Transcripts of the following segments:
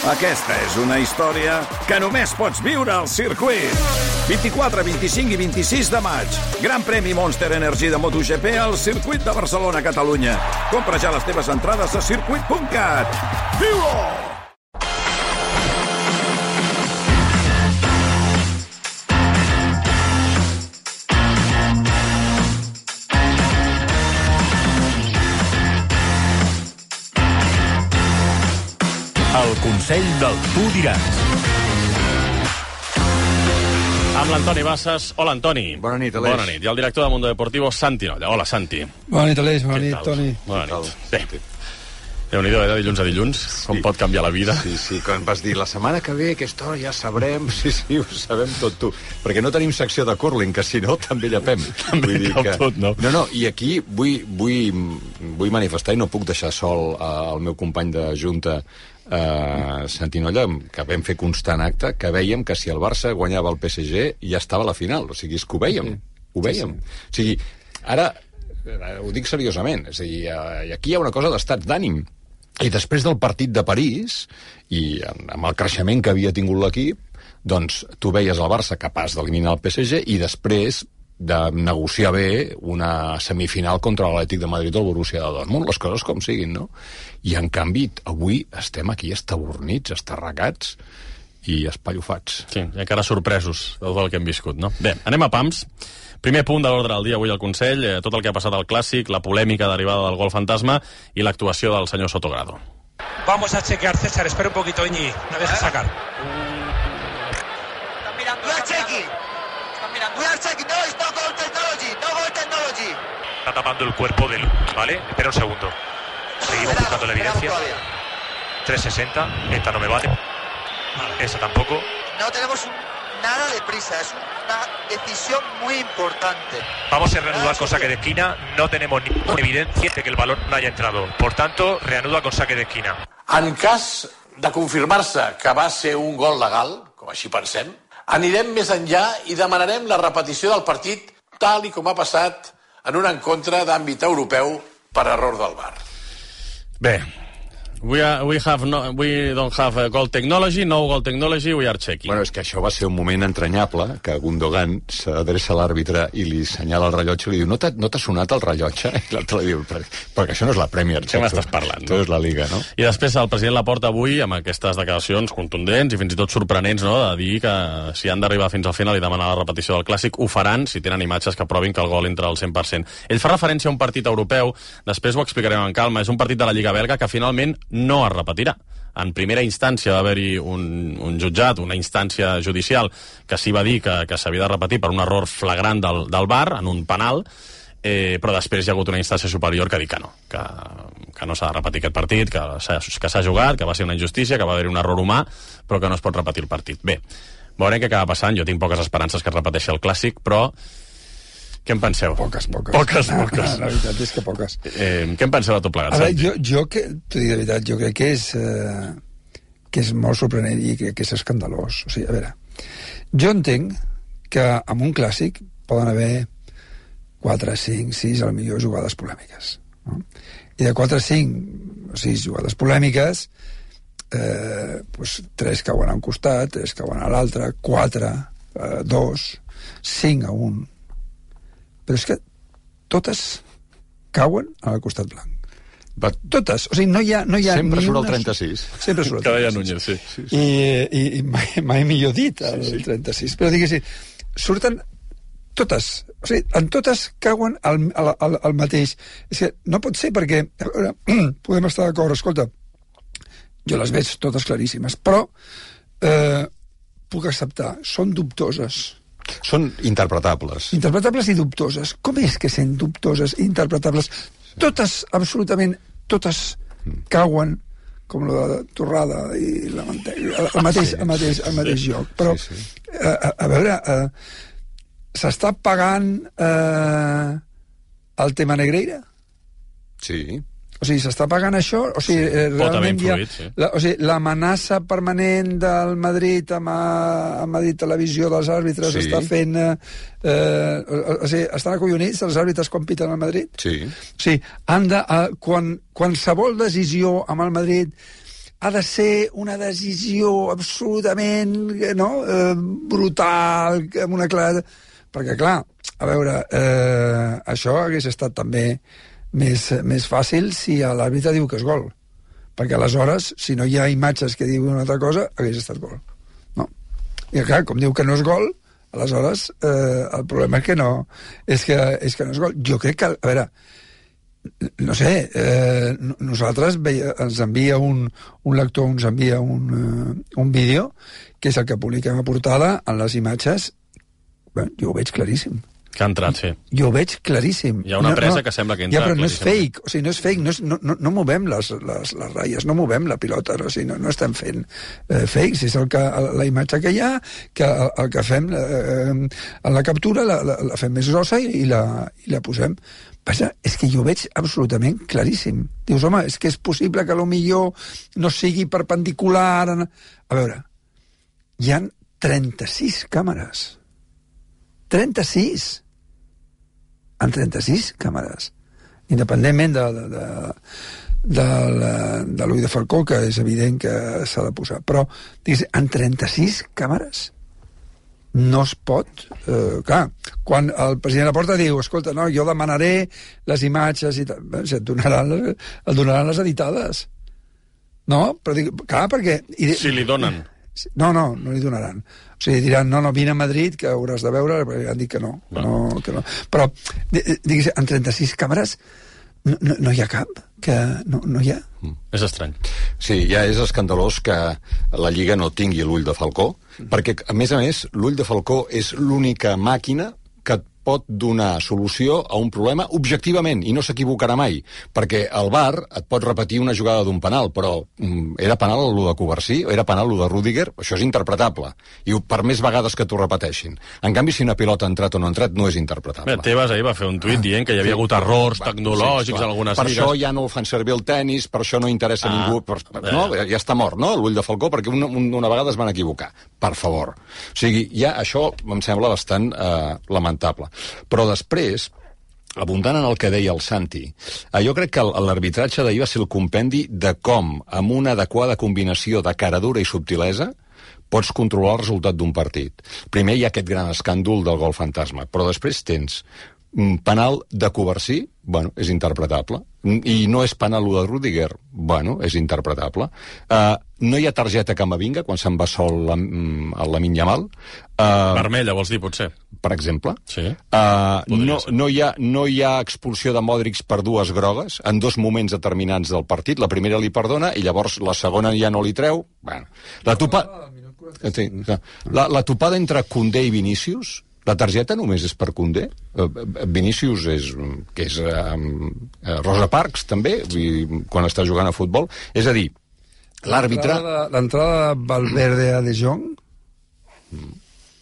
Aquesta és una història que només pots viure al circuit. 24, 25 i 26 de maig. Gran premi Monster Energy de MotoGP al circuit de Barcelona, Catalunya. Compra ja les teves entrades a circuit.cat. Viu-ho! El Consell del Tu Diràs. Amb l'Antoni Bassas. Hola, Antoni. Bona nit, Aleix. Bona nit. I el director de Mundo Deportivo, Santi Nolla. Hola, Santi. Bona nit, Aleix. Bona nit, Toni. Bona nit. Bé, Déu-n'hi-do, de dilluns a dilluns, com pot canviar la vida. Sí, quan vas dir la setmana que ve aquesta hora ja sabrem, sí, ho sabem tot tu. Perquè no tenim secció de curling, que si no també llepem. També cau tot, no? No, i aquí vull manifestar, i no puc deixar sol el meu company de junta, Santi Nolla, que vam fer constant acte, que vèiem que si el Barça guanyava el PSG ja estava a la final, o sigui, és que ho vèiem, ho vèiem. O sigui, ara, ho dic seriosament, és a dir, aquí hi ha una cosa d'estats d'ànim, i després del partit de París, i amb el creixement que havia tingut l'equip, doncs tu veies el Barça capaç d'eliminar el PSG, i després de negociar bé una semifinal contra l'Atlètic de Madrid o el Borussia de Dortmund, les coses com siguin, no? I en canvi, avui estem aquí estabornits, estarracats i espallofats. Sí, i encara sorpresos de tot el que hem viscut, no? Bé, anem a pams. Primer punt de l'ordre del dia avui al Consell, tot el que ha passat al Clàssic, la polèmica derivada del gol fantasma i l'actuació del senyor Sotogrado. Vamos a chequear, César, espera un poquito, Iñi, me deja sacar. Están mirando, están mirando. We are checking, no, it's no goal technology. Está tapando el cuerpo del... ¿Vale? Espera un segundo. Seguimos buscando la evidencia. 360, esta no me vale. Esa tampoco. No tenemos nada de prisa, es una decisión muy importante. Vamos a reanudar con saque de esquina. No tenemos ninguna evidencia de que el balón no haya entrado. Por tanto, reanuda con saque de esquina. En cas de confirmar-se que va ser un gol legal, com així pensem, anirem més enllà i demanarem la repetició del partit tal i com ha passat en un encontre d'àmbit europeu per error del VAR. Bé, we don't have goal technology, no goal technology, we are checking. Bueno, és que això va ser un moment entranyable, que Gundogan s'adreça a l'àrbitre i li senyala el rellotge i li diu, no t'ha sonat el rellotge? I l'altre li diu, perquè això no és la Premier, què m'estàs parlant? Això és la Liga, no? I després el president Laporta avui, amb aquestes declaracions contundents i fins i tot sorprenents, no?, de dir que si han d'arribar fins al final i demanar la repetició del Clàssic, ho faran si tenen imatges que provin que el gol entra al 100%. Ell fa referència a un partit europeu, després ho explicarem amb calma, és un partit de la Lliga belga que finalment no es repetirà. En primera instància va haver-hi un jutjat, una instància judicial, que sí va dir que s'havia de repetir per un error flagrant del VAR, en un penal, però després hi ha hagut una instància superior que ha dit que no, que no s'ha de repetir aquest partit, que s'ha jugat, que va ser una injustícia, que va haver-hi un error humà, però que no es pot repetir el partit. Bé, veurem què acaba passant. Jo tinc poques esperances que es repeteixi el Clàssic, però què en penseu? Poques. Poques. La veritat és que poques. Què en penseu de tot plegat, Santi? Jo t'ho dic de veritat, jo crec que és molt sorprenent i crec que és escandalós. O sigui, a veure, jo entenc que en un Clàssic poden haver 4, 5, 6, a lo millor jugades polèmiques. No? I de 4 a 5 o 6 jugades polèmiques, pues 3 cauen a un costat, 3 cauen a l'altre, 4 a 2, 5 a 1. Però és que totes cauen al costat blanc. Totes. O sigui, no hi ha sempre ni surt una... el 36. Sempre surt el 36. Que deia Núñez, sí. I mai millor dit, el 36. Però diguéssim, surten totes. O sigui, en totes cauen al mateix. És que no pot ser perquè... A veure, podem estar d'acord, escolta, jo les veig totes claríssimes, però puc acceptar, són dubtoses. Són interpretables. Interpretables i dubtoses. Com és que sent dubtoses i interpretables? Totes, absolutament, totes cauen com la de torrada i la mantega, al mateix lloc. Però, a veure, s'està pagant el tema Negreira? Sí. O sigui, s'està pagant això? O sigui, realment influït, sí. O sigui, l'amenaça permanent del Madrid amb Madrid Televisió dels àrbitres està fent... o sigui, estan acollonits els àrbitres quan piten al Madrid? Sí. O sigui, qualsevol decisió amb el Madrid ha de ser una decisió absolutament brutal, amb una clara... Perquè, clar, a veure, això hagués estat també més fàcil si l'àrbitre diu que és gol. Perquè aleshores, si no hi ha imatges que diuen una altra cosa, hagués estat gol. No. I clar, com diu que no és gol, aleshores el problema és que no és que no és gol. Jo crec que, a veure, no sé, nosaltres ens envia un lector, ens envia un vídeo, que és el que publiquem a portada, en les imatges, bé, jo ho veig claríssim. Que ha entrat, sí. Jo ho veig claríssim. Hi ha una presa que sembla que entra. Ja, però no és fake, o sigui, no és fake, no movem les ratlles, no movem la pilota, o sigui, no estem fent fakes, és la imatge que hi ha, que el que fem en la captura la fem més grossa i la posem. Passa, és que jo ho veig absolutament claríssim. Dius, home, és que és possible que potser no sigui perpendicular... A veure, hi ha 36 càmeres. 36! En 36 càmeres. Independentment de l'ull de falcó, que és evident que s'ha de posar. Però, digues, en 36 càmeres no es pot... clar, quan el president Laporta diu, escolta, no, jo demanaré les imatges i tal, et donaran les editades. No? Però dic, clar, perquè... Si li donen. No li donaran. O sigui, diran, no, vine a Madrid, que hauràs de veure, perquè han dit que no. Però, digues, en 36 càmeres no hi ha cap, que no hi ha. És estrany. Sí, ja és escandalós que la Lliga no tingui l'ull de falcó, perquè, a més, l'ull de falcó és l'única màquina que et pot donar solució a un problema objectivament, i no s'equivocarà mai, perquè el VAR et pot repetir una jugada d'un penal, però era penal el de Covarsí, era penal el de Rüdiger, això és interpretable, i per més vegades que t'ho repeteixin. En canvi, si una pilota ha entrat o no ha entrat, no és interpretable. Tebas ahir va fer un tuit dient que hi havia hagut errors tecnològics en algunes lligues. Per lligues. això ja no fan servir el tennis, per això no interessa ningú... Ja està mort, no?, l'ull de falcó, perquè una vegada es van equivocar. Per favor. O sigui, ja això em sembla bastant lamentable. Però després, abundant en el que deia el Santi, jo crec que l'arbitratge d'ahir va ser el compendi de com, amb una adequada combinació de caradura i subtilesa, pots controlar el resultat d'un partit. Primer hi ha aquest gran escàndol del gol fantasma, però després tens penal de Covarsí, bueno, és interpretable. I no és penal de Rüdiger, bueno, és interpretable. No hi ha targeta Camavinga quan se'n va sol Lamine Yamal. Vermella, vols dir, potser? Per exemple. Sí. No hi ha expulsió de Modric per dues grogues en dos moments determinants del partit. La primera li perdona i llavors la segona ja no li treu. Bueno, la topada entre Koundé i Vinícius, la targeta només és per Koundé. Vinícius és Rosa Parks, també, quan està jugant a futbol. És a dir, l'àrbitre... L'entrada de Valverde a De Jong...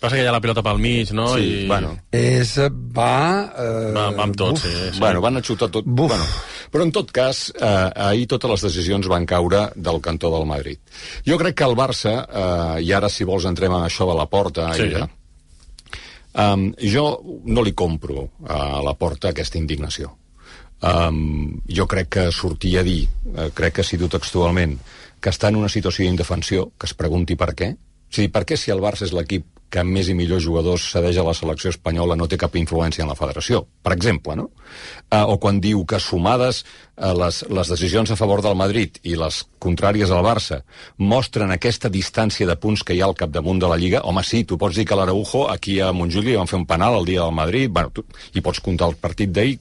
Passa que hi ha la pilota pel mig, no? Sí, bueno. Va amb tot, sí. Bueno, van a xutar tot. Bueno, però en tot cas, ahir totes les decisions van caure del cantó del Madrid. Jo crec que el Barça, i ara si vols entrem en això de la Porta... Sí, jo no li compro a la Porta aquesta indignació. Jo crec que sortir a dir, crec que ha sigut textualment, que està en una situació d'indefensió, que es pregunti per què. O sigui, per què si el Barça és l'equip que amb més i millors jugadors cedeix a la selecció espanyola no té cap influència en la federació, per exemple, no? O quan diu que sumades les decisions a favor del Madrid i les contràries al Barça mostren aquesta distància de punts que hi ha al capdamunt de la Lliga. Home, sí, tu pots dir que l'Araujo aquí a Montjuïc li van fer un penal el dia del Madrid, bueno, i pots comptar el partit d'ahir,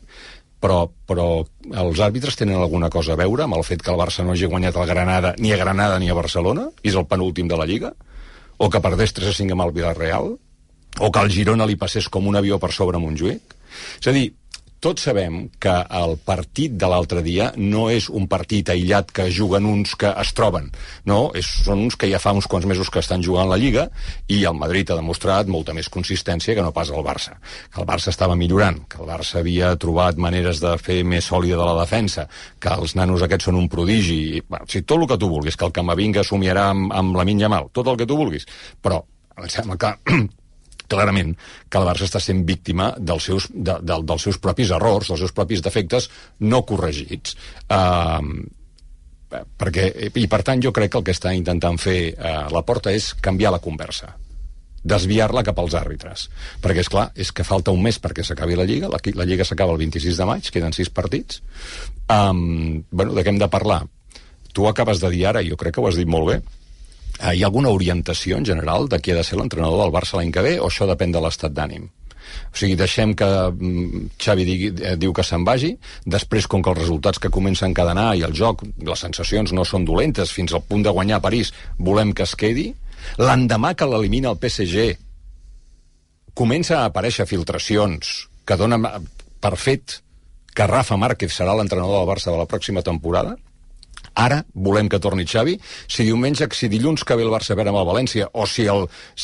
però els àrbitres tenen alguna cosa a veure amb el fet que el Barça no hagi guanyat el Granada ni a Granada ni a Barcelona, i és el penúltim de la Lliga? O que perdés 3-5 amb el Villarreal, o que el Girona li passés com un avió per sobre Montjuïc. És a dir, tots sabem que el partit de l'altre dia no és un partit aïllat que juguen uns que es troben, no, són uns que ja fa uns quants mesos que estan jugant la Lliga, i el Madrid ha demostrat molta més consistència que no pas el Barça. Que el Barça estava millorant, que el Barça havia trobat maneres de fer més sòlida de la defensa, que els nanos aquests són un prodigi, bueno, o sigui, tot el que tu vulguis, que el Camavinga somiarà amb Lamine Yamal, tot el que tu vulguis, però em sembla que clarament que el Barça està sent víctima dels seus propis errors, dels seus propis defectes no corregits. I per tant jo crec que el que està intentant fer la Porta és canviar la conversa, desviar-la cap als àrbitres, perquè és clar, és que falta un mes perquè s'acabi la Lliga, la Lliga s'acaba el 26 de maig, queden 6 partits. Bueno, de què hem de parlar? Tu acabes de dir ara, jo crec que ho has dit molt bé, hi ha alguna orientació en general de qui ha de ser l'entrenador del Barça l'any que ve, o això depèn de l'estat d'ànim? O sigui, deixem que Xavi diu que se'n vagi, després, com que els resultats que comencen a encadenar i el joc, les sensacions no són dolentes, fins al punt de guanyar a París, volem que es quedi. L'endemà que l'elimina el PSG, comença a aparèixer filtracions que donen per fet que Rafa Márquez serà l'entrenador del Barça de la pròxima temporada. Ara volem que torni Xavi. Si dilluns que ve el Barça a veure amb el València, o si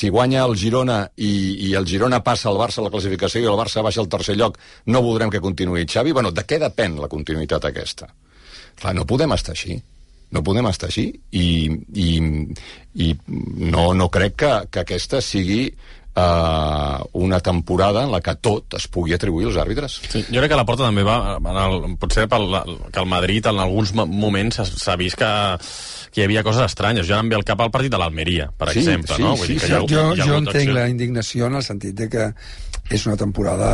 guanya el Girona i el Girona passa al Barça a la classificació i el Barça baixa al tercer lloc, no voldrem que continuï Xavi. Bueno, de què depèn la continuïtat aquesta? Clar, no podem estar així. No podem estar així i no crec que aquesta sigui una temporada en la que tot es pugui atribuir als àrbitres. Sí, jo crec que la Porta també va, potser que el Madrid en alguns moments s'ha vist que hi havia coses estranyes. Jo em ve al cap al partit de l'Almeria, per exemple. No? Vull dir que jo entenc la indignació en el sentit de que és una temporada,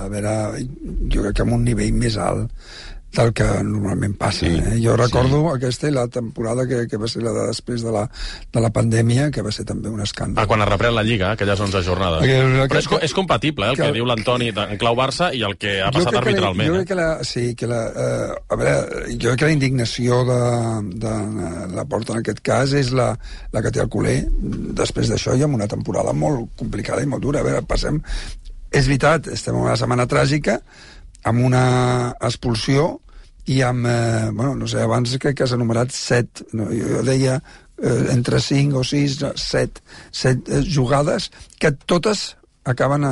a veure, jo crec que amb un nivell més alt del que normalment passa. Jo recordo aquesta i la temporada que va ser la de després de la pandèmia, que va ser també un escàndol. Quan es reprèn la Lliga, aquelles 11 jornades. Però és compatible, el que diu l'Antoni en clau Barça i el que ha passat arbitralment. Jo crec que la indignació de la Porta en aquest cas és la que té el culer després d'això i amb una temporada molt complicada i molt dura. A veure, passem... És veritat, estem en una setmana tràgica, amb una expulsió i amb, no sé, abans crec que s'ha enumerat 7, jo deia entre 5 o 6, 7 jugades que totes acaben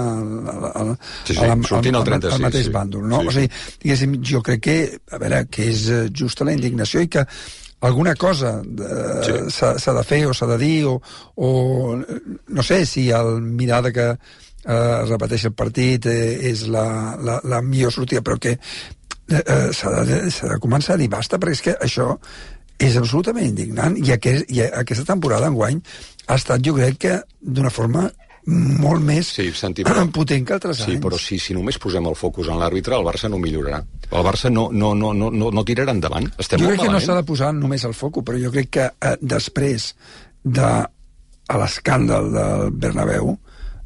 sortint al mateix bàndol, no? O sigui, diguéssim, jo crec que, a veure, que és justa la indignació i que alguna cosa s'ha de fer o s'ha de dir o no sé si el mirar de que es repeteix el partit és la millor sortida, però que s'ha de començar a dir basta, perquè és que això és absolutament indignant i aquesta temporada enguany ha estat, jo crec que d'una forma molt més potent que altres anys. Sí, però si només posem el focus en l'àrbitre, el Barça no millorarà. El Barça no tirarà endavant. Estem jo molt crec que malament. no s'ha de posar només el focus, però jo crec que després de l'escàndal del Bernabéu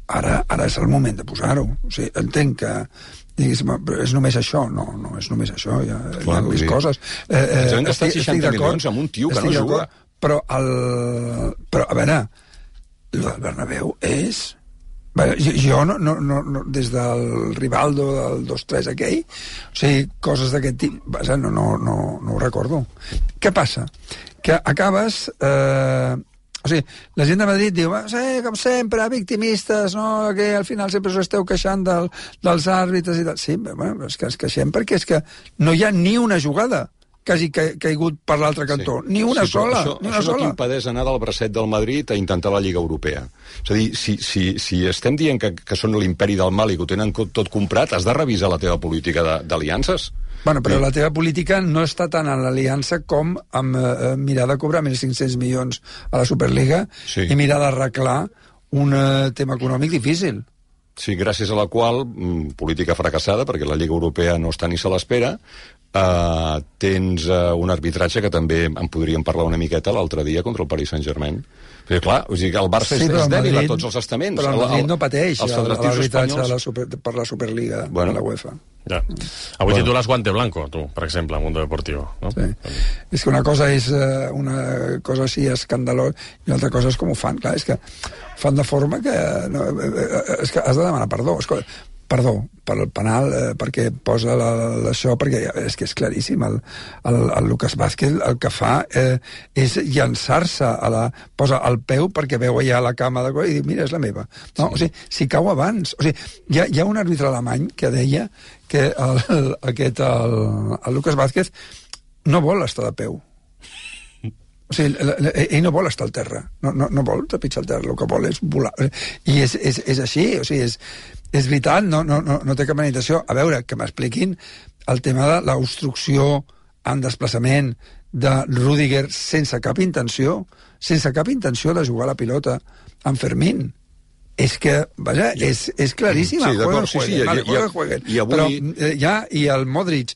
ara és el moment de posar-ho. O sigui, entenc que però és només això. No és només això, hi ha més coses. Ens hem gastat 60 milions amb un tio que no juga. Però a veure, el del Bernabéu és... Jo des del Rivaldo del 2-3 aquell, o sigui, coses d'aquest tipus, no ho recordo. Què passa? Que acabes... O sigui, la gent de Madrid diu, com sempre, victimistes, no? Que al final sempre us esteu queixant dels àrbitres i tal. Sí, bueno, és que ens queixem perquè és que no hi ha ni una jugada que hagi caigut per l'altre cantó. Ni una sola. Això no t'impedeix anar del bracet del Madrid a intentar la Lliga Europea. És a dir, si estem dient que són l'imperi del mal i que ho tenen tot comprat, has de revisar la teva política d'aliances. Bueno, però la teva política no està tant en l'aliança com amb mirar de cobrar 1.500 milions a la Superliga i mirar d'arreglar un tema econòmic difícil. Sí, gràcies a la qual, política fracassada, perquè la Lliga Europea no està ni se l'espera, tens un arbitratge que també en podríem parlar una miqueta l'altre dia contra el Paris Saint-Germain. Però clar, o sigui, el Barça és dèbil a tots els estaments. Però el Madrid no pateix l'arbitratge per la Superliga de la UEFA. Ja. Avui titules Guante Blanco, tu, per exemple, a Mundo Deportivo. No? Sí. És que una cosa és una cosa així escandalosa i una altra cosa és com ho fan. Clar, és que fan de forma que... és que has de demanar perdó. Perdó per el penal, perquè posa això, perquè és que és claríssim. El Lucas Vázquez el que fa és llançar-se, posa el peu perquè veu allà la cama i diu, mira, és la meva. No, o sigui, si cau abans. O sigui, hi ha un àrbitre alemany que deia que el Lucas Vázquez no vol estar de peu. O sigui, ell no vol estar al terra, no vol trepitjar al terra, el que vol és volar. I és així, o sigui, és veritat, no té cap manifestació. A veure, que m'expliquin el tema de l'obstrucció en desplaçament de Rüdiger sense cap intenció de jugar la pilota amb Fermín. És que, vaja, és claríssima. Sí, d'acord, sí. I avui... Però i el Modric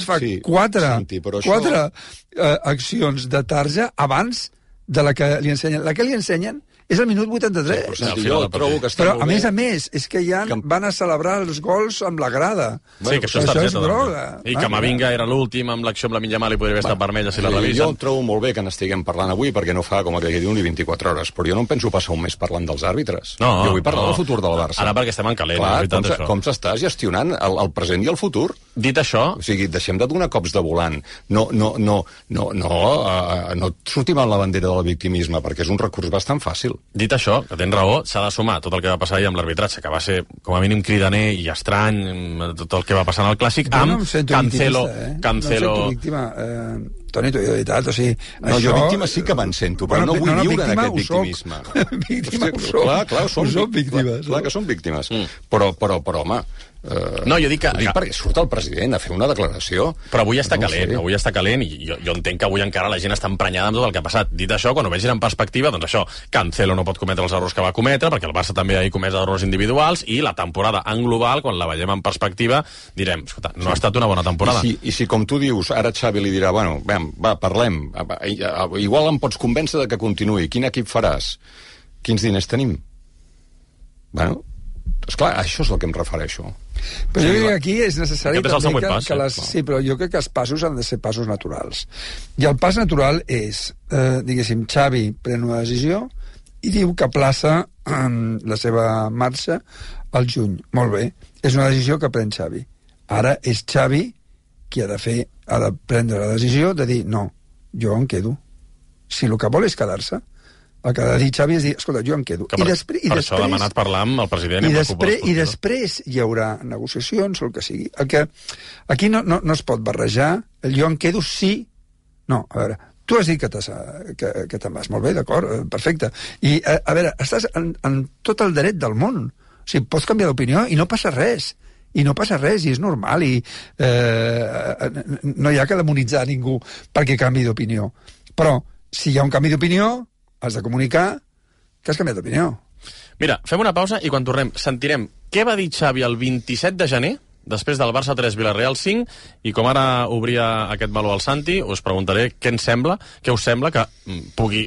fa quatre accions de tarja abans de la que li ensenyen. La que li ensenyen és el minut 83. Sí, jo trobo que està però, molt bé. a més, és que ja van a celebrar els gols amb la grada. Sí, que això és targeta. Droga. I Camavinga era l'últim, amb l'acció amb la Yamal i podria haver estat vermella si la revisen. Jo trobo molt bé que n'estiguem parlant avui, perquè no fa, com aquell dia, ni 24 hores. Però jo no em penso passar un mes parlant dels àrbitres. Jo vull parlar del futur del Barça. Ara perquè estem en calent. Clar, com s'està gestionant el present i el futur? Dit això... O sigui, deixem de donar cops de volant. No sortim amb la bandera del victimisme, perquè és un recurs bastant fàcil. Dit això, que tens raó, s'ha de sumar tot el que va passar ahir amb l'arbitratge, que va ser com a mínim cridaner i estrany, tot el que va passar en el Clàssic, amb Cancelo... No em sento víctima, Toni, t'ho he de veritat, o sigui... Jo víctima sí que me'n sento, però no vull viure en aquest victimisme. Víctima ho soc. Clar, som víctimes. Clar que som víctimes. Però, home... No, jo dic que... Ho dic perquè surt el president a fer una declaració. Però avui està calent, i jo entenc que avui encara la gent està emprenyada amb tot el que ha passat. Dit això, quan ho vegin en perspectiva, doncs això, Cancelo no pot cometre els errors que va cometre, perquè el Barça també ha comès errors individuals, i la temporada en global, quan la veiem en perspectiva, direm, escolta, no ha estat una bona temporada. I si com tu dius, ara Xavi li dirà, bueno, va, parlem, igual em pots convèncer de que continuï, quin equip faràs? Quins diners tenim? Bueno, esclar, això és el que em refereixo. Però jo crec que aquí és necessari també sí, però jo crec que els passos han de ser passos naturals. I el pas natural és, diguéssim, Xavi pren una decisió i diu que aplaça la seva marxa al juny. Molt bé, és una decisió que pren Xavi. Ara és Xavi qui ha de prendre la decisió de dir, no, jo em quedo. Si el que vol és quedar-se, el que ha de dir Xavi és dir, escolta, jo em quedo. Per això ha demanat parlar amb el president i després hi haurà negociacions o el que sigui. Aquí no es pot barrejar el jo em quedo sí. No, a veure, tu has dit que te'n vas. Molt bé, d'acord, perfecte. I, a veure, estàs en tot el dret del món. O sigui, pots canviar d'opinió i no passa res. I és normal, i no hi ha que demonitzar ningú perquè canvi d'opinió. Però, si hi ha un canvi d'opinió, has de comunicar que has canviat d'opinió. Mira, fem una pausa i quan tornem sentirem què va dir Xavi el 27 de gener, després del Barça 3, Villarreal 5, i com ara obria aquest meló al Santi, us preguntaré què us sembla que pugui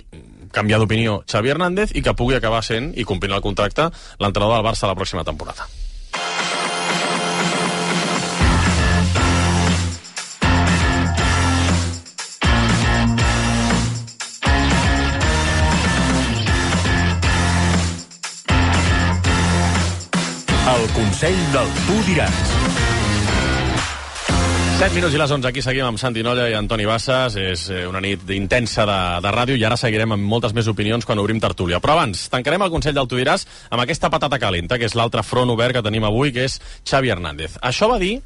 canviar d'opinió Xavi Hernández i que pugui acabar sent, i complint el contracte, l'entrenador del Barça la pròxima temporada. El Consell del Tu Diràs. 7 minuts i les 11, aquí seguim amb Santi Nolla i Antoni Bassas. És una nit intensa de ràdio i ara seguirem amb moltes més opinions quan obrim tertúlia. Però abans, tancarem el Consell del Tu Diràs amb aquesta patata calenta, que és l'altre front obert que tenim avui, que és Xavi Hernández. Això va dir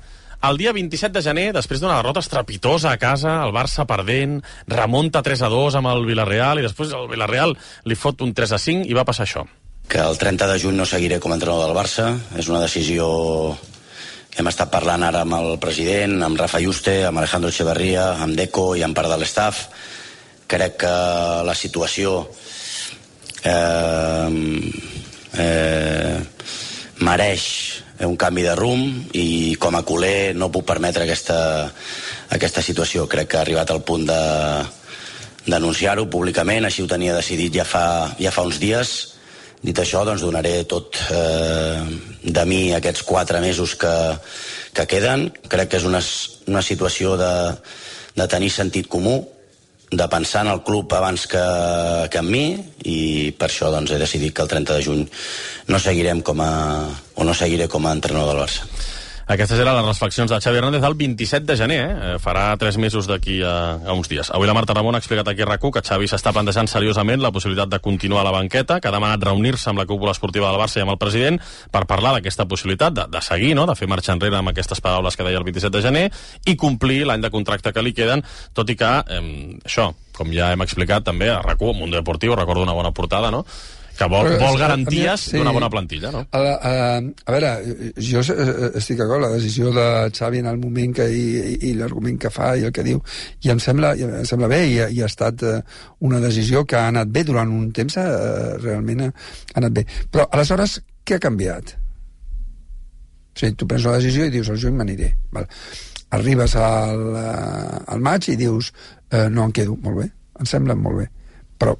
el dia 27 de gener, després d'una derrota estrepitosa a casa, el Barça perdent, remunta 3-2 amb el Villarreal, i després el Villarreal li fot un 3-5 i va passar això. Que el 30 de juny no seguiré com a entrenador del Barça. És una decisió que hem estat parlant ara amb el president, amb Rafa Yuste, amb Alejandro Echeverría, amb Deco i amb part de l'estaf. Crec que la situació mereix un canvi de rumb i com a culer no puc permetre aquesta situació. Crec que ha arribat al punt d'anunciar-ho públicament, així ho tenia decidit ja fa uns dies. Dit això, doncs donaré tot de mi aquests 4 mesos que queden. Crec que és una situació de tenir sentit comú, de pensar en el club abans que en mi, i per això doncs, he decidit que el 30 de juny no seguiré com a entrenador del Barça. Aquestes eren les reflexions de Xavi Hernández el 27 de gener, farà 3 mesos d'aquí a uns dies. Avui la Marta Ramon ha explicat aquí a RAC1 que Xavi s'està plantejant seriosament la possibilitat de continuar a la banqueta, que ha demanat reunir-se amb la cúpula esportiva del Barça i amb el president per parlar d'aquesta possibilitat de seguir, no?, de fer marxa enrere amb aquestes paraules que deia el 27 de gener i complir l'any de contracte que li queden, tot i que, això, com ja hem explicat també a RAC1, Mundo Deportivo, recordo una bona portada, no?, Que vol garanties d'una bona plantilla, no? A veure, jo estic d'acord, la decisió de Xavi en el moment i l'argument que fa i el que diu, i em sembla bé, i ha estat una decisió que ha anat bé durant un temps, realment ha anat bé. Però, aleshores, què ha canviat? O sigui, tu prens una decisió i dius, al juny m'aniré. Arribes al maig i dius, no em quedo, molt bé, em sembla molt bé. Però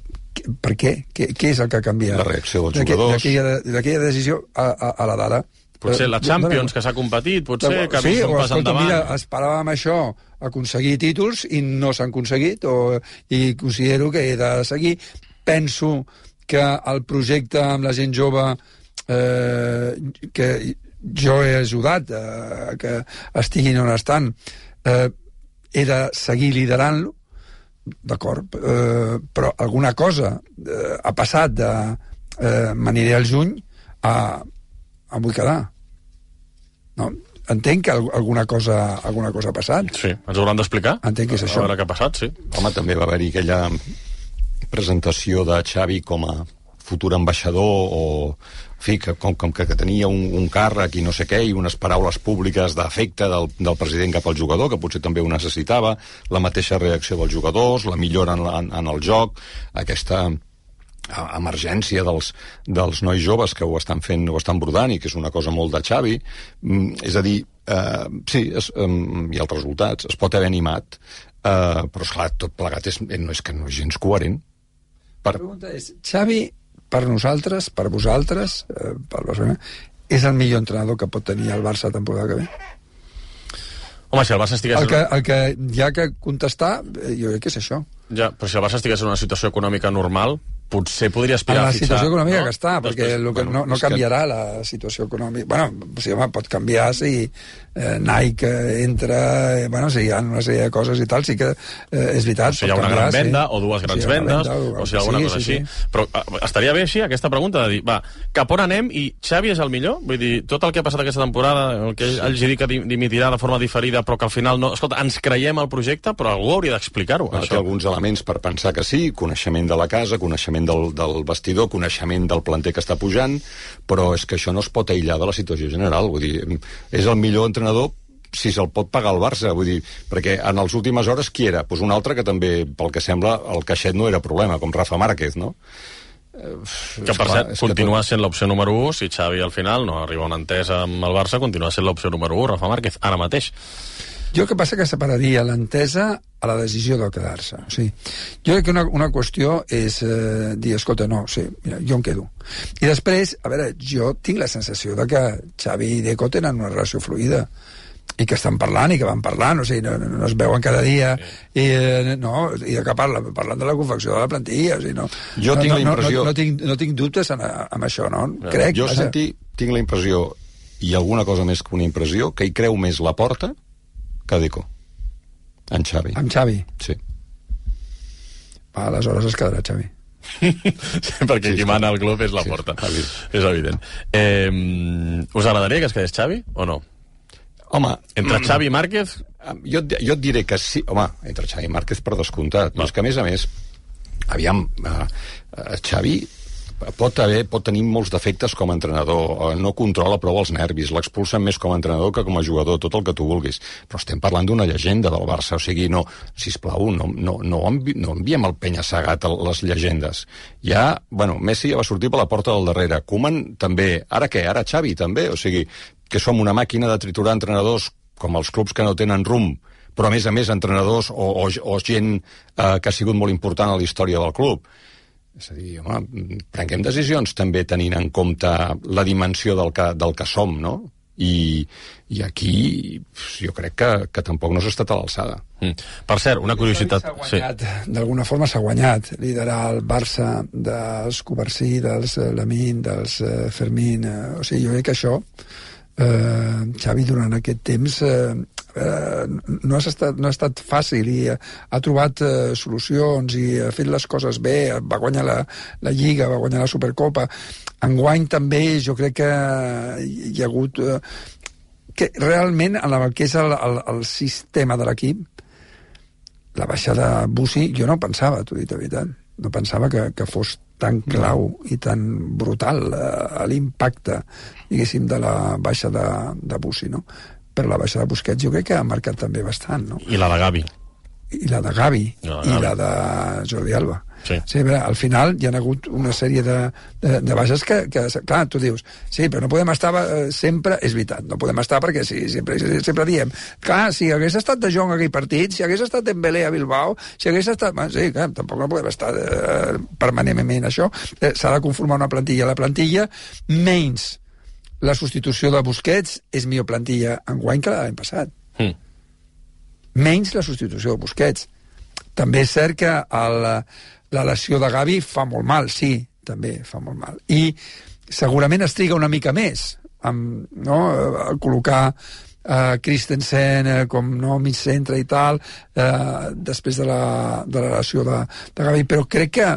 per què? Què és el que ha canviat? La reacció dels jugadors. D'aquella decisió a la d'ara. Potser la Champions, que s'ha competit, potser que ha vist un pas endavant. Mira, esperàvem això, aconseguir títols, i no s'han aconseguit, i considero que he de seguir. Penso que el projecte amb la gent jove que jo he ajudat que estiguin on estan, he de seguir liderant-lo, d'acord, però alguna cosa ha passat de m'aniré al juny a vull quedar, no? Entenc que alguna cosa ha passat. Sí, ens ho hauran d'explicar. Entenc que és això. A veure què ha passat, sí. Home, també va haver-hi aquella presentació de Xavi com a futur ambaixador, o en fi, com que tenia un càrrec i no sé què, i unes paraules públiques d'afecte del president cap al jugador, que potser també ho necessitava, la mateixa reacció dels jugadors, la millora en el joc, aquesta emergència dels nois joves que ho estan fent, ho estan brodant, i que és una cosa molt de Xavi. És a dir, sí, i els resultats, es pot haver animat, però esclar, tot plegat no és gens coherent. La pregunta és, Xavi, per nosaltres, per vosaltres, per Barcelona, és el millor entrenador que pot tenir el Barça temporada que ve? Home, si el Barça estigués... El que hi ha que contestar, jo crec que és això. Ja, però si el Barça estigués en una situació econòmica normal, potser podria aspirar a fitxar... La situació econòmica que està, perquè no canviarà la situació econòmica. Bueno, sí, home, pot canviar si Nike entra... Bueno, si hi ha una sèrie de coses i tal, sí que és veritat. Si hi ha una gran venda, o dues grans vendes, o si hi ha alguna cosa així. Però estaria bé així, aquesta pregunta, de dir, va, cap on anem i Xavi és el millor? Vull dir, tot el que ha passat aquesta temporada, el que ell hagi dit que dimitirà de forma diferida, però que al final no... Escolta, ens creiem el projecte, però algú hauria d'explicar-ho. Té alguns elements per pensar que sí, coneixement de la casa, coneixement del vestidor, coneixement del planter que està pujant, però és que això no es pot aïllar de la situació general. Vull dir, és el millor entrenador si se'l pot pagar el Barça, vull dir, perquè en les últimes hores qui era? Pues un altre que també, pel que sembla, el caixet no era problema, com Rafa Márquez, no? Que per cert, continua sent l'opció número 1, si Xavi al final no arriba a una entesa amb el Barça, continua sent l'opció número 1, Rafa Márquez, ara mateix. Jo el que passa que separaria l'entesa a la decisió de quedar-se. O sigui, jo crec que una qüestió és dir, escolta, no, sí, mira, jo em quedo. I després, a veure, jo tinc la sensació de que Xavi i Deco tenen una relació fluida i que estan parlant i que van parlant, o sigui, no es veuen cada dia, i de què parlen de la confecció de la plantilla, o sigui, no. Jo tinc la impressió... No tinc dubtes amb això, no? Crec. Jo, Santi, tinc la impressió, i alguna cosa més que una impressió, que hi creu més la Porta que Deco. En Xavi. Amb Xavi? Sí. Aleshores es quedarà Xavi. Perquè qui mana al club és la Porta. És evident. Us agradaria que es quedés Xavi o no? Home... Entre Xavi i Márquez? Jo et diré que sí. Home, entre Xavi i Márquez per descomptat. Però és que, a més, aviam, Xavi pot tenir molts defectes com a entrenador, no controla prou els nervis, l'expulsen més com a entrenador que com a jugador, tot el que tu vulguis, però estem parlant d'una llegenda del Barça, o sigui, no, sisplau, no enviem el penya-segat a les llegendes. Ja, bueno, Messi ja va sortir per la porta del darrere, Koeman també, ara què? Ara Xavi també, o sigui, que som una màquina de triturar entrenadors com els clubs que no tenen rumb, però a més entrenadors o gent que ha sigut molt important a la història del club. És a dir, home, prenguem decisions també tenint en compte la dimensió del que som, no? I aquí jo crec que tampoc no s'ha estat a l'alçada. Per cert, una curiositat... D'alguna forma s'ha guanyat liderar el Barça dels Covarsí, dels Lamine, dels Fermín. O sigui, jo crec que això Xavi durant aquest temps no ha estat fàcil i ha trobat solucions i ha fet les coses bé, va guanyar la Lliga, va guanyar la Supercopa. Enguany també jo crec que hi ha hagut que realment en el que és el sistema de l'equip, la baixada Bussi jo no pensava, t'ho he dit de veritat. no pensava que fos tan clau i tan brutal l'impacte, diguéssim, de la baixa de Bussi, no? Per la baixa de Busquets jo crec que ha marcat també bastant, no? I la de Gavi. I la de Gavi, i la de Jordi Alba. Sí. Sí, al final hi ha hagut una sèrie de baixes que, clar, tu dius, sí, però no podem estar sempre, és veritat, no podem estar perquè sí, sempre diem, clar, si hagués estat de Jong aquell partit, si hagués estat Dembélé a Bilbao, si hagués estat... Bueno, sí, clar, tampoc no podem estar permanentment això. S'ha de conformar una plantilla. La plantilla, menys la substitució de Busquets, és millor plantilla enguany que l'any passat. Menys la substitució de Busquets. També és cert que la lesió de Gavi fa molt mal, sí, també fa molt mal. I segurament es triga una mica més a col·locar Christensen com mig centre i tal, després de la lesió de Gavi, però crec que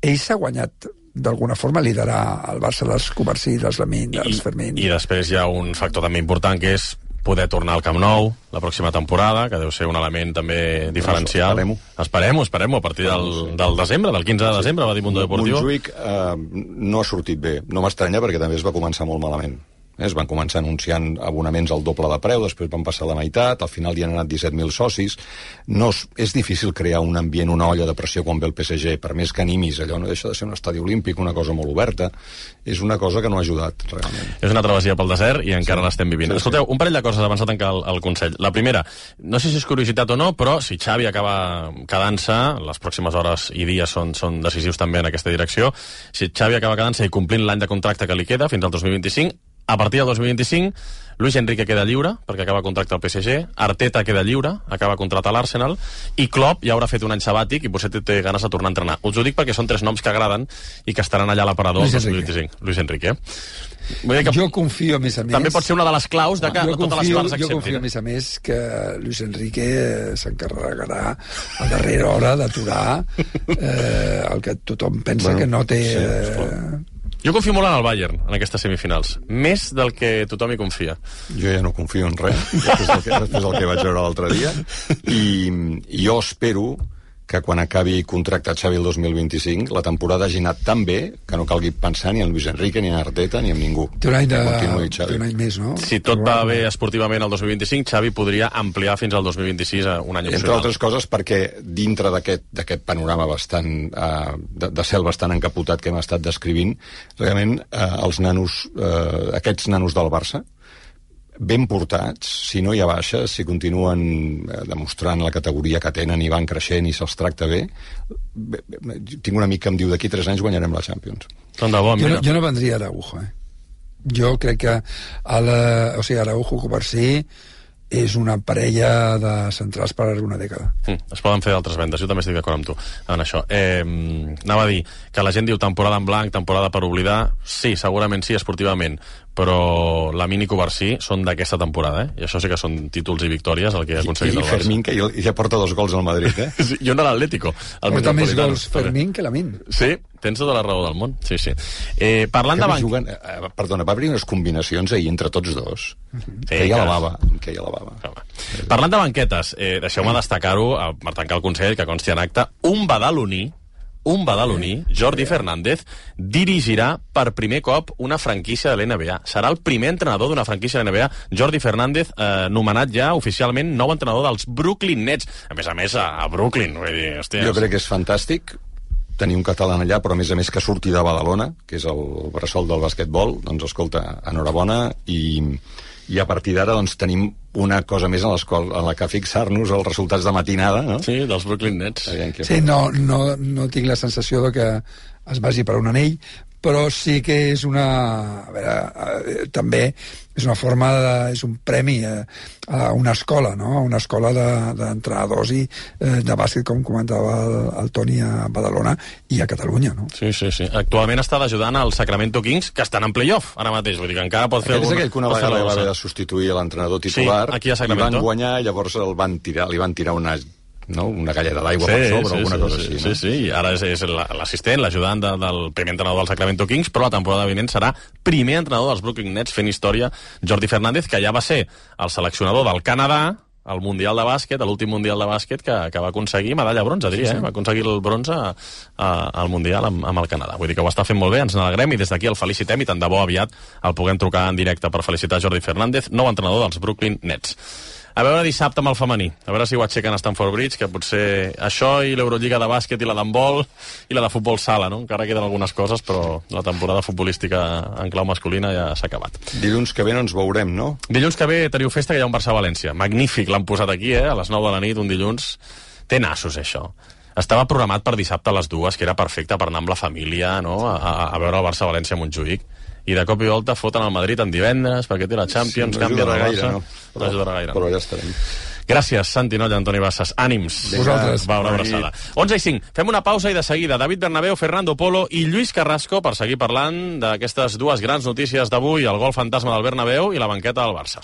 ell s'ha guanyat d'alguna forma liderar el Barça dels Covarsí, dels Lamine, dels Fermín. I després hi ha un factor també important que és poder tornar al Camp Nou la pròxima temporada, que deu ser un element també diferencial. Esperem-ho a partir del desembre, del 15 de desembre, va dir Mundo Deportivo. Montjuïc no ha sortit bé. No m'estranya perquè també es va començar molt malament. Es van començar anunciant abonaments al doble de preu, després van passar la meitat, al final hi han anat 17.000 socis. És difícil crear un ambient, una olla de pressió quan ve el PSG, per més que animis, allò no deixa de ser un estadi olímpic, una cosa molt oberta. És una cosa que no ha ajudat, realment. És una travessia pel desert i encara l'estem vivint. Escolteu, un parell de coses abans de tancar el Consell. La primera, no sé si és curiositat o no, però si Xavi acaba quedant-se, les pròximes hores i dies són decisius també en aquesta direcció, si Xavi acaba quedant-se i complint l'any de contracte que li queda fins al 2025, a partir del 2025, Luis Enrique queda lliure, perquè acaba contracte al PSG, Arteta queda lliure, acaba contracte a l'Arsenal, i Klopp ja haurà fet un any sabàtic i potser té ganes de tornar a entrenar. Us ho dic perquè són 3 noms que agraden i que estaran allà a l'aparador el 2025. Luis Enrique. Jo confio, a més a més... També pot ser una de les claus de que totes les parts acceptin. Jo confio, a més, que Luis Enrique s'encarregarà a darrera hora d'aturar el que tothom pensa que no té... Jo confio molt en el Bayern, en aquestes semifinals. Més del que tothom hi confia. Jo ja no confio en res, després del que vaig veure l'altre dia. I jo espero que quan acabi contractat Xavi el 2025, la temporada hagi anat tan bé que no calgui pensar ni en Luis Enrique, ni en Arteta, ni en ningú. Té un any més, no? Si tot va bé esportivament el 2025, Xavi podria ampliar fins al 2026 un any opcional. Entre altres coses perquè dintre d'aquest panorama bastant de cel bastant encapotat que hem estat descrivint, realment els nanos, aquests nanos del Barça, ben portats, si no hi ha baixes, si continuen demostrant la categoria que tenen i van creixent i se'ls tracta bé, tinc un amic que em diu d'aquí 3 anys guanyarem la Champions. Jo no vendria Araujo, Jo crec que Araujo Covarsí és una parella de centrals per una dècada. Es poden fer d'altres vendes, jo també estic d'acord amb tu en això. Anava a dir que la gent diu temporada en blanc, temporada per oblidar. Sí, segurament sí, esportivament, però la Mini Covarsí són d'aquesta temporada, i això sí que són títols i victòries el que ha aconseguit el Barça. I Fermín, que ja porta 2 gols al Madrid, Sí, i un de l'Atlético. Porta més gols Fermín que Lamine. Sí, tens tota la raó del món. Sí. Parlant de banc... Perdona, va haver unes combinacions ahir entre tots dos. Queia la bava. Parlant de banquetes, deixeu-me destacar-ho per tancar el Consell, que consti en acte, un badaloní, Jordi Fernández, dirigirà per primer cop una franquícia de l'NBA. Serà el primer entrenador d'una franquícia de l'NBA. Jordi Fernández, nomenat ja oficialment nou entrenador dels Brooklyn Nets. A més, a Brooklyn. Vull dir, hòstia, jo crec que és fantàstic tenir un català allà, però a més que surti de Badalona, que és el bressol del basquetbol. Doncs escolta, enhorabona, i a partir d'ara doncs, tenim una cosa més en la que fixar-nos els resultats de matinada, no? Sí, dels Brooklyn Nets. Sí, no tinc la sensació de que es vagi per un anell, però sí que és una... A veure, també és una forma és un premi a una escola, no? A una escola d'entrenadors i de bàsquet, com comentava el Toni, a Badalona i a Catalunya, no? Sí. Actualment està ajudant al Sacramento Kings, que estan en playoff ara mateix, vull dir que encara pot fer alguna cosa. És aquell que una vegada va haver de substituir l'entrenador titular, aquí a Sacramento, i van guanyar, llavors li van tirar una galleda d'aigua per sobre, alguna cosa així. Sí, i ara és l'assistent, l'ajudant del primer entrenador del Sacramento Kings, però la temporada vinent serà primer entrenador dels Brooklyn Nets fent història, Jordi Fernández, que ja va ser el seleccionador del Canadà al Mundial de Bàsquet, a l'últim Mundial de Bàsquet que va aconseguir medalla bronze, diria, va aconseguir el bronze al Mundial amb el Canadà. Vull dir que ho està fent molt bé, ens n'alegrem i des d'aquí el felicitem i tant de bo aviat el puguem trucar en directe per felicitar Jordi Fernández, nou entrenador dels Brooklyn Nets. A veure dissabte amb el femení, a veure si ho aixequen a Stamford Bridge, que potser això i l'Eurolliga de bàsquet i la d'handbol i la de futbol sala, no? Encara queden algunes coses, però la temporada futbolística en clau masculina ja s'ha acabat. Dilluns que ve no ens veurem, no? Dilluns que ve teniu festa, que hi ha un Barça-València. Magnífic, l'han posat aquí, a les 9 de la nit, un dilluns. Té nassos, això. Estava programat per dissabte a les 2, que era perfecte per anar amb la família, no? a veure el Barça-València a Montjuïc. I de cop i volta foten el Madrid en divendres perquè té la Champions, sí, no canvia el Barça. No ajudarà gaire. Però ja estarem. Gràcies, Santi Nolla, Antoni Bassas. Ànims. Vosaltres. Va, una abraçada. 11:05. Fem una pausa i de seguida David Bernabéu, Fernando Polo i Lluís Carrasco per seguir parlant d'aquestes dues grans notícies d'avui, el gol fantasma del Bernabéu i la banqueta del Barça.